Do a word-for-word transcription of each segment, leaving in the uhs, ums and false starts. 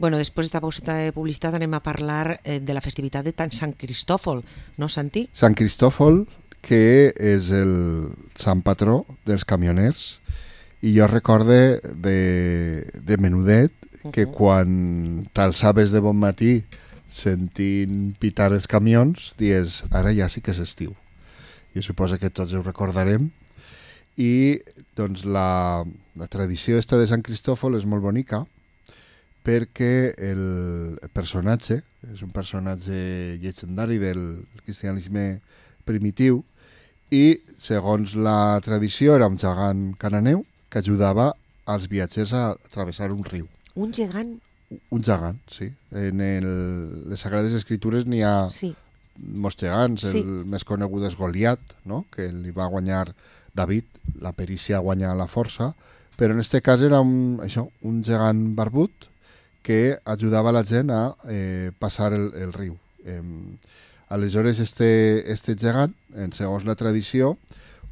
Bueno, després d'esta pauseta de publicitat anem a parlar eh, de la festivitat de Sant Cristòfol, no, Santi? Sant Cristòfol, que és el sant patró dels camioners, i jo recorde de, de menudet que uh-huh. quan t'alçaves de bon matí sentint pitar els camions, dius, ara ja sí que és estiu. Jo suposo que tots ho recordarem. I doncs la, la tradició esta de Sant Cristòfol és molt bonica perquè el, el personatge és un personatge llegendari del cristianisme primitiu i, segons la tradició, era un gegant cananeu que ajudava als viatgers a travessar un riu. Un gegant? Un gegant, sí. En el, les Sagrades Escritures n'hi ha sí. molts gegants. Sí. El més conegut és Goliat, no? Que li va guanyar David. La perícia guanya la força. Però en aquest cas era un, això, un gegant barbut que ajudava la gent a eh, passar el, el riu. Eh, aleshores, este, este gegant, en segons la tradició,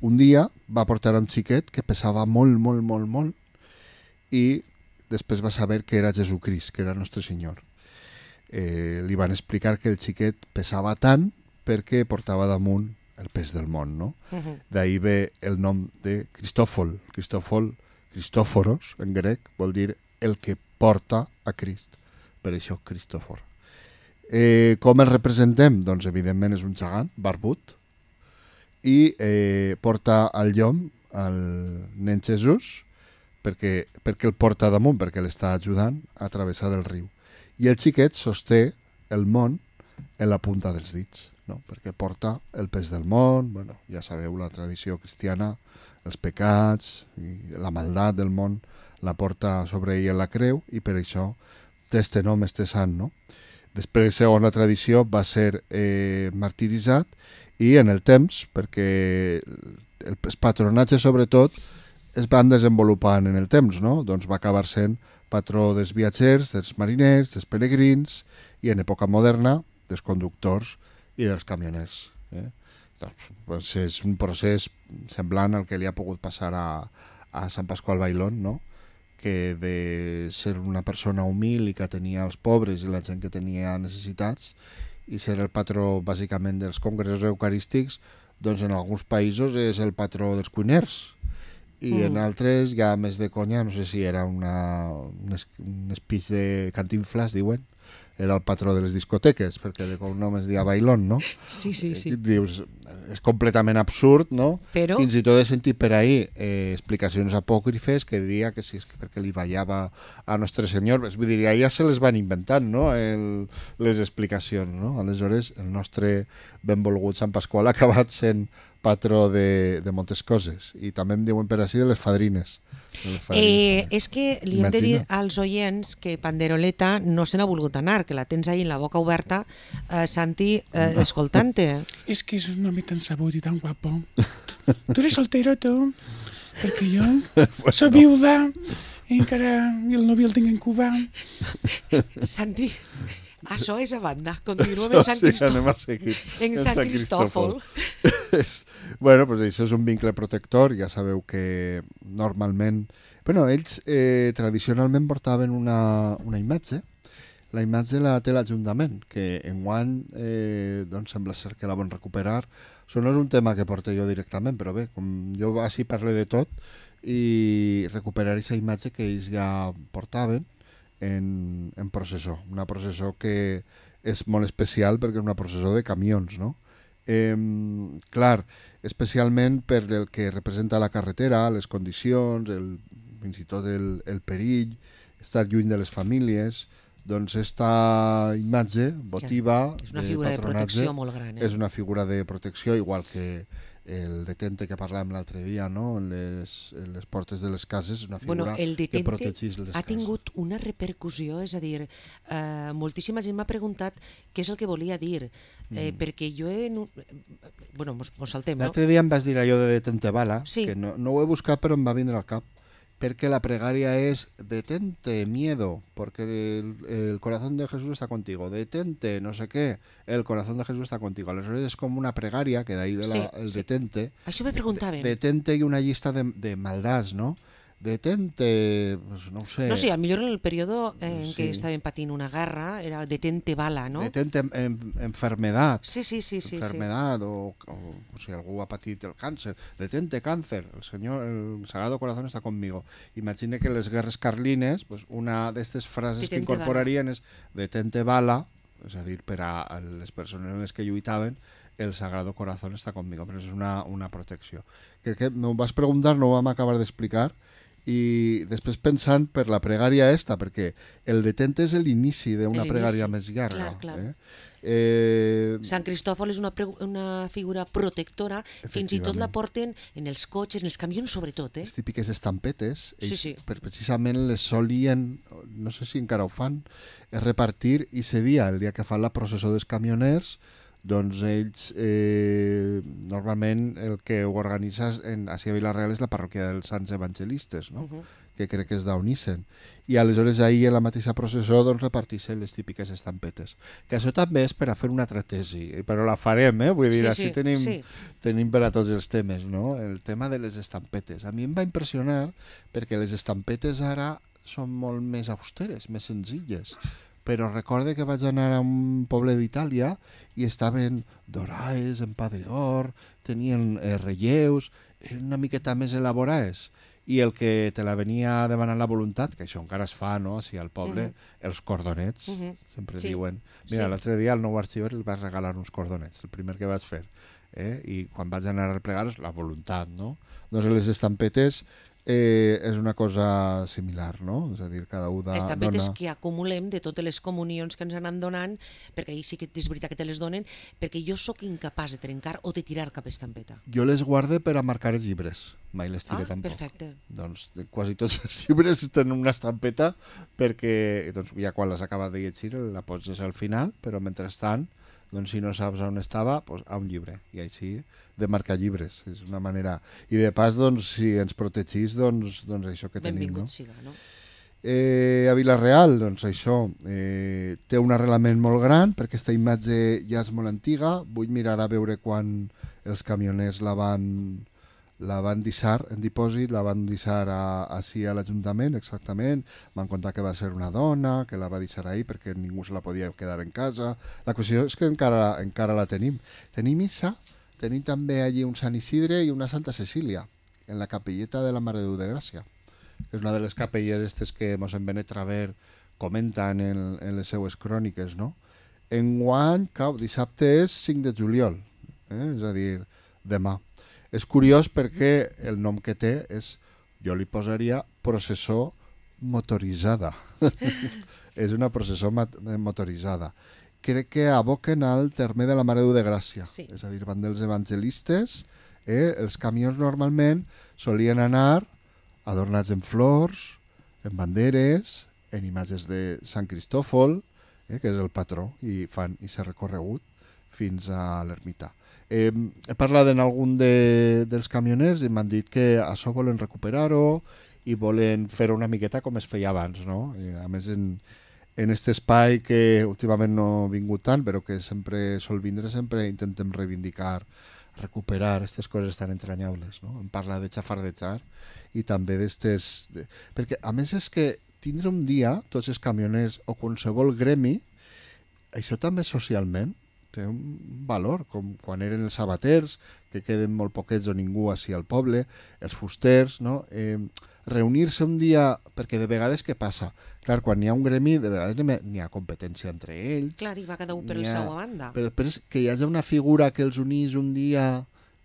un dia va portar un xiquet que pesava molt, molt, molt, molt, i després va saber que era Jesucrist, que era Nostre Senyor. Eh, li van explicar que el xiquet pesava tant perquè portava damunt el pes del món, no? Uh-huh. D'ahí ve el nom de Cristòfol. Cristòfol, Cristòforos, en grec, vol dir el que porta a Crist. Per això, Cristòfor. Eh, com el representem? Doncs, evidentment, és un gegant barbut i eh, porta al llom al nen Jesús perquè, perquè el porta damunt, perquè l'està ajudant a travessar el riu. I el xiquet sosté el món en la punta dels dits, no? Perquè porta el pes del món, bueno, ja sabeu, la tradició cristiana, els pecats i la maldat del món la porta sobre ell en la creu i per això té este nom, este sant, no? Després, segons la tradició, va ser eh, martiritzat i en el temps, perquè el, els patronatges sobretot es van desenvolupant en el temps, no? Doncs va acabar sent patró dels viatgers, dels mariners, dels peregrins i en època moderna dels conductors i dels camioners. Eh? Doncs és un procés semblant al que li ha pogut passar a, a Sant Pasqual Bailón, no? Que de ser una persona humil i que tenia els pobres i la gent que tenia necessitats i ser el patró bàsicament dels congressos eucarístics, doncs en alguns països és el patró dels cuiners i mm. en altres ja més de conya, no sé si era una, un, es, un speech de Cantinflas, diuen, era el patró de les discoteques, perquè de cognom es deia Bailón, no? Sí, sí, sí. Dius, és completament absurd, no? Però... Fins i tot he sentit per ahí eh, explicacions apòcrifes que deia que sí, és que perquè li ballava a Nostre Senyor. Vull dir, ja se les van inventant, no? El, les explicacions, no? Aleshores, el nostre benvolgut Sant Pasqual ha acabat sent patró de, de moltes coses. I també em diuen per així de les fadrines. De les fadrines eh, és que li hem de dir als oients que Panderoleta no se n'ha volgut anar, que la tens ahí en la boca oberta, eh, Santi, eh, escoltant-te. És que és un home tan sabut i tan guapo. Tu eres soltero, tu? Perquè jo bueno. soc viuda i encara el nòvio el tinc en Cuba. Santi... Això és a banda, continuem en Sant Cristòfol. Sí, en Sant, Sant Cristòfol. Bueno, pues això és un vincle protector, ja sabeu que normalment... Bueno, ells eh, tradicionalment portaven una, una imatge, la imatge la té l'Ajuntament, que enguany eh, doncs sembla ser que la van recuperar. Això no és un tema que porte jo directament, però bé, com jo així parlo de tot, i recuperar aquesta imatge que ells ja portaven, En, en processó, una processó que és molt especial perquè és una processó de camions, no? Eh, clar, especialment per el que representa la carretera, les condicions, el, fins i tot el, el perill, estar lluny de les famílies, doncs esta imatge votiva és una figura de, de protecció molt gran, eh? És una figura de protecció, igual que el detente que parlàvem l'altre dia, no? En les, en les portes de les cases, una figura bueno, el que protegeix les ha cases. tingut una repercussió, és a dir, eh, moltíssima gent m'ha preguntat què és el que volia dir, eh, mm. perquè jo he... Bueno, mos, mos saltem, no? L'altre dia em vas dir allò de detente bala, sí. que no, no ho he buscat però em va vindre al cap, perquè la pregària és detente, miedo, porque el, el corazón de Jesús está contigo, detente, no sé què, el corazón de Jesús está contigo. Aleshores és com una pregària, que d'ahí ve la, sí, el sí. detente. Això me preguntaven. De, detente i una llista de, de maldats, no? detente, pues no ho sé. No sé, al millor en el período en Sí. què estaven patint una guerra era detente bala, no? Detente en, en, enfermedad. Sí, sí, sí, sí. enfermedad sí. O, o, o si algú ha patit el càncer, detente càncer, el Senyor, el Sagrado Corazón està conmigo. Imagine que en les guerres carlines, pues una d'aquestes frases detente que incorporarien bala. És detente bala, és a dir, per a les persones en les que lluitaven, el Sagrado Corazón està conmigo, però és una, una protecció. Crec que m'ho vas preguntar, no ho vam acabar d'explicar, i després pensant per la pregària esta, perquè el detente és l'inici d'una pregària més llarga. Clar, clar. Eh? Eh... Sant Cristòfol és una, una figura protectora, fins i tot la porten en els cotxes, en els camions sobretot. Eh? Les típiques estampetes, ells, sí, sí. Per, precisament les solien, no sé si encara ho fan, repartir i ese dia, el dia que fan la processó dels camioners, doncs ells eh, normalment el que ho organitza en, així a Vila-real és la parròquia dels Sants Evangelistes, no? Uh -huh. que crec que és d'Unissen. I aleshores ahir en la mateixa processó doncs, repartixen les típiques estampetes. Que això també és per a fer una altra tesi, però la farem, eh? Vull dir, sí, així sí, tenim, sí. tenim per a tots els temes, no? El tema de les estampetes. A mi em va impressionar perquè les estampetes ara són molt més austeres, més senzilles. Però recorde que vaig anar a un poble d'Itàlia i estaven doraes, en pa d'or, tenien eh, relleus, eren una miqueta més elaborades. I el que te la venia demanant la voluntat, que això encara es fa, no?, així al poble, uh -huh. els cordonets, uh -huh. sempre sí. diuen. Mira, sí. l'altre dia al nou arxiver li vaig regalar uns cordonets, el primer que vaig fer. Eh? I quan vaig anar a plegar, la voluntat, no? Doncs les estampetes eh, és una cosa similar, no? És a dir, cada un dona... Estampetes que acumulem de totes les comunions que ens han donant, perquè ahir sí que és veritat que te les donen, perquè jo sóc incapaç de trencar o de tirar cap estampeta. Jo les guarde per a marcar els llibres, mai les tire ah, tampoc. Perfecte. Doncs quasi tots els llibres tenen una estampeta perquè doncs, ja quan les acabes de llegir la poses al final, però mentrestant doncs si no saps on estava, doncs a un llibre, i així de marcar llibres, és una manera... I de pas, doncs, si ens protegís, doncs, doncs això que tenim, no? Benvingut siga, no? Eh, a Vila-real, doncs això, eh, té un arrelament molt gran, perquè aquesta imatge ja és molt antiga, vull mirar a veure quan els camioners la van... la van deixar en dipòsit, la van deixar a, així a l'Ajuntament, exactament. Van contar que va ser una dona, que la va deixar ahí perquè ningú se la podia quedar en casa. La qüestió és que encara, encara la tenim. Tenim missa, tenim també allí un Sant Isidre i una Santa Cecília, en la capelleta de la Mare de Déu de Gràcia. És una de les capelles estes que mossèn Benet Traver comenta en, el, en les seues cròniques, no? Enguany, cau, dissabte és cinc de juliol, eh? És a dir, demà. És curiós perquè el nom que té és, jo li posaria processó motoritzada. És una processó motoritzada. Crec que aboquen al terme de la Mare de Déu de Gràcia. Sí. És a dir, van dels evangelistes, eh? Els camions normalment solien anar adornats en flors, en banderes, en imatges de Sant Cristòfol, eh? que és el patró, i fan i s'ha recorregut fins a l'ermita. Eh, he parlat en algun de, dels camioners i m'han dit que això volen recuperar-ho i volen fer una miqueta com es feia abans, no? I a més, en, en aquest espai que últimament no ha vingut tant, però que sempre sol vindre, sempre intentem reivindicar, recuperar aquestes coses tan entranyables, no? Em parla de xafardejar i també d'estes... De... Perquè, a més, és que tindre un dia, tots els camioners o qualsevol gremi, això també socialment té un valor, com quan eren els sabaters, que queden molt poquets o ningú així al poble, els fusters, no? Eh, reunir-se un dia, perquè de vegades què passa? Clar, quan hi ha un gremi, de vegades n'hi ha competència entre ells. Clar, i va cada un per la seva banda. Però després que hi hagi una figura que els unís un dia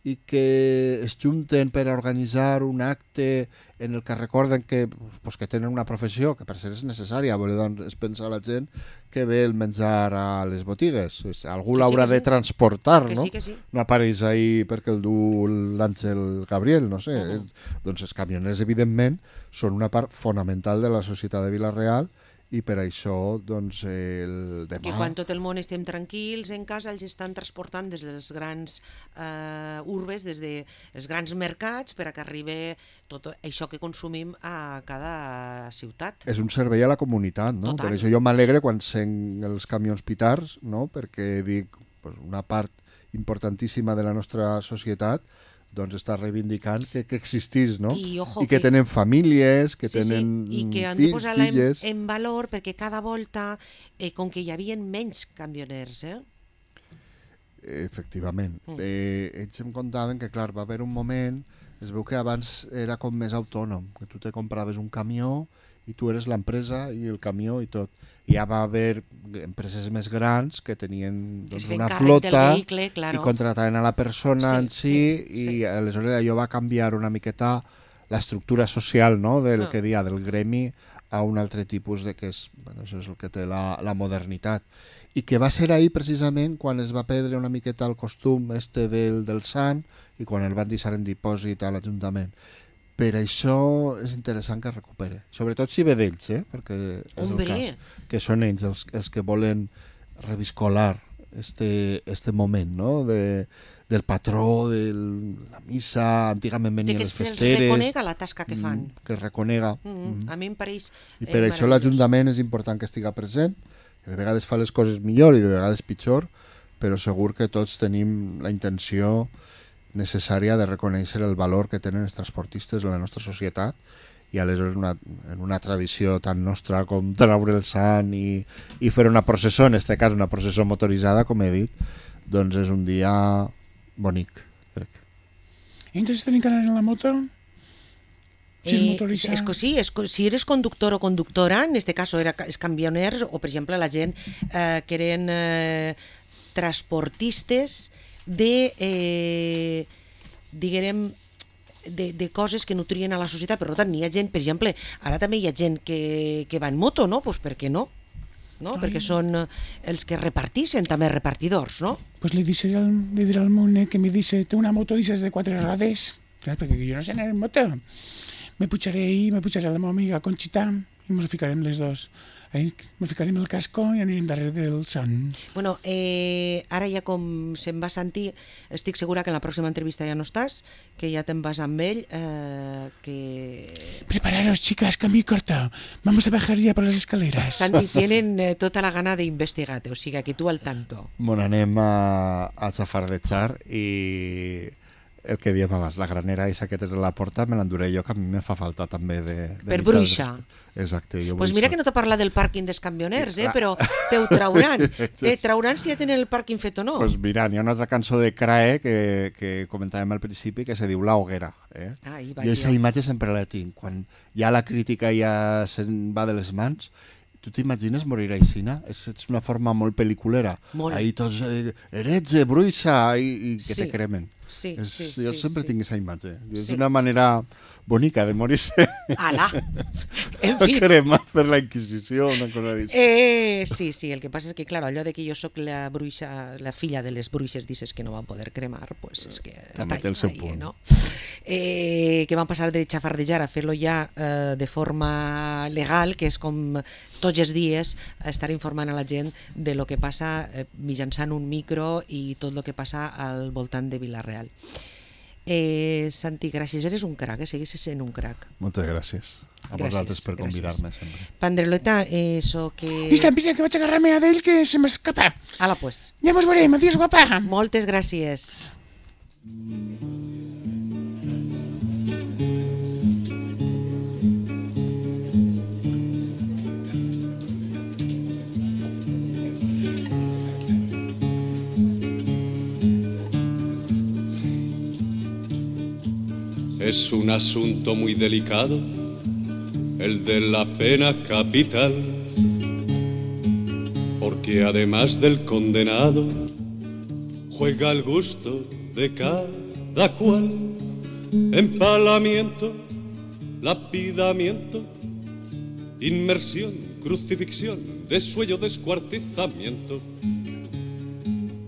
i que es junten per a organitzar un acte en el que recorden que, pues, que tenen una professió que per ser és necessària, perquè doncs, es pensa la gent que ve el menjar a les botigues. Algú l'haurà sí, de sí. transportar, que no? Sí, que sí. No apareix ahí perquè el du l'Àngel Gabriel, no sé. Uh -huh. Doncs els camioners, evidentment, són una part fonamental de la societat de Vila-real i per això, doncs, el demà... Que quan tot el món estem tranquils en casa, els estan transportant des de les grans eh, urbes, des dels grans mercats, per a que arribi tot això que consumim a cada ciutat. És un servei a la comunitat, no? Total. Per això jo m'alegre quan sent els camions pitars, no? Perquè dic, pues, una part importantíssima de la nostra societat doncs està reivindicant que, que existís, no? I, ojo, I que, que tenen famílies, que sí, tenen sí, i que han fills, de posar-la en, filles... en valor perquè cada volta, eh, com que hi havia menys camioners, eh? Efectivament. Mm. Eh, ells em contaven que, clar, va haver un moment, es veu que abans era com més autònom, que tu te compraves un camió i tu eres l'empresa i el camió i tot. I ja va haver empreses més grans que tenien doncs, una flota vehicle, claro. i contrataven a la persona sí, en si, sí, i sí. aleshores allò va canviar una miqueta l'estructura social, no?, del ah. que dia del gremi a un altre tipus de que és, bueno, això és el que té la, la modernitat. I que va ser ahir precisament quan es va perdre una miqueta el costum este del, del sant i quan el van deixar en dipòsit a l'Ajuntament. Per això és interessant que es recupere, sobretot si ve d'ells, eh? Perquè és Hombre. el cas, que són ells els, els que volen reviscolar este, este moment, no?, de, del patró, de la missa, antigament venien les festeres... De que se'ls reconega la tasca que fan. Que es reconega. Mm -hmm. mm. A mi em pareix I per eh, això l'Ajuntament és important que estiga present, que de vegades fa les coses millor i de vegades pitjor, però segur que tots tenim la intenció necessària de reconèixer el valor que tenen els transportistes en la nostra societat i aleshores una, en una tradició tan nostra com treure el sant i, i fer una processó, en aquest cas una processó motoritzada, com he dit, doncs és un dia bonic, crec. I entonces tenen que anar en la moto? Si és Eh, motoritzada? és que sí, és, si eres conductor o conductora, en este cas era els camioners o, per exemple, la gent eh, que eren eh, transportistes de, eh, diguem, de, de coses que nutrien a la societat. Per tant, hi ha gent, per exemple, ara també hi ha gent que, que va en moto, no? Pues per què no? No? Perquè són els que repartixen, també repartidors, no? Pues le, dice al, le diré al meu net que me dice, té una moto dices de quatre rodes, clar, perquè jo no sé anar en moto. Me pujaré ahí, me pujaré a la meva amiga Conxita i ens ficarem les dos. Ahí me ficarem el casco i anirem darrere del sant. Bueno, eh, ara ja com se'n va sentir, estic segura que en la pròxima entrevista ja no estàs, que ja te'n vas amb ell, eh, que... Prepararos, chicas, cambio y corto. Vamos a bajar ya por las escaleras. Santi, tienen eh, tota la gana d'investigar-te, o sigui que tu al tanto. Bueno, anem a, a xafardejar i... el que diem abans, la granera aquesta que tens a la porta me l'enduré jo, que a mi me fa falta també de... de per bruixa. Exacte. Jo pues mira que no t'ho parla del pàrquing dels camioners, eh? Però te ho trauran. Te trauran si ja tenen el pàrquing fet o no. Pues mira, hi ha una altra cançó de Crae que, que comentàvem al principi que se diu La Hoguera. Eh? Ah, i jo aquesta imatge sempre la tinc. Quan ja la crítica ja se'n va de les mans, tu t'imagines morir aixina? És, és una forma molt pel·liculera. Molt. Ahí tots, eh, heretge, bruixa, i, i que sí. te cremen. Sí, és, sí, jo sí, sempre sí. tinc aquesta imatge. És sí. una manera bonica de morir-se. Ala! En fi. Cremat per la Inquisició, una cosa d'això. Eh, sí, sí, el que passa és que, clar, allò de que jo sóc la bruixa, la filla de les bruixes, dices que no van poder cremar, pues és que també està té el seu ahí, punt. No? Eh, que van passar de xafardejar a fer-lo ja eh, de forma legal, que és com tots els dies estar informant a la gent de lo que passa eh, mitjançant un micro i tot el que passa al voltant de Vila-real. Eh, Santi, gràcies, eres un crac, eh? Segueixes sent un crac. Moltes gràcies a gràcies, vosaltres per convidar-me sempre. Pandreleta, eso que... Vista, vista, que vaig a agarrar-me a d'ell que se m'escapa. Ala, pues. Ja mos veurem, adiós, guapa. Moltes gràcies. Es un asunto muy delicado, el de la pena capital, porque además del condenado, juega el gusto de cada cual. Empalamiento, lapidamiento, inmersión, crucifixión, desuello, descuartizamiento,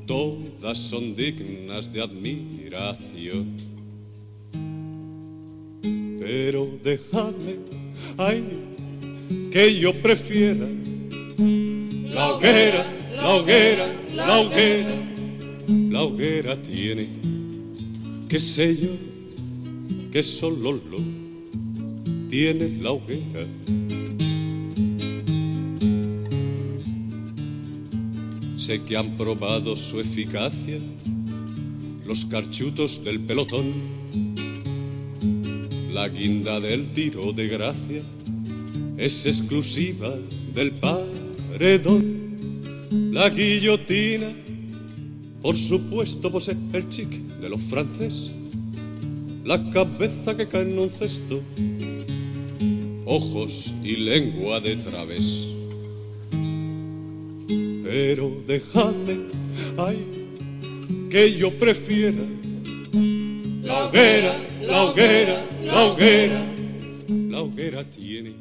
todas son dignas de admiración. Pero dejadme, ay, que yo prefiera la hoguera, la hoguera, la hoguera. La hoguera tiene, qué sé yo, que solo lo tiene la hoguera. Sé que han probado su eficacia los carchutos del pelotón, la guinda del tiro de gracia es exclusiva del paredón. La guillotina, por supuesto, posee el chic de los franceses, la cabeza que cae en un cesto, ojos y lengua de través. Pero dejadme, ay, que yo prefiera la hoguera, la hoguera, la hoguera. La hoguera tiene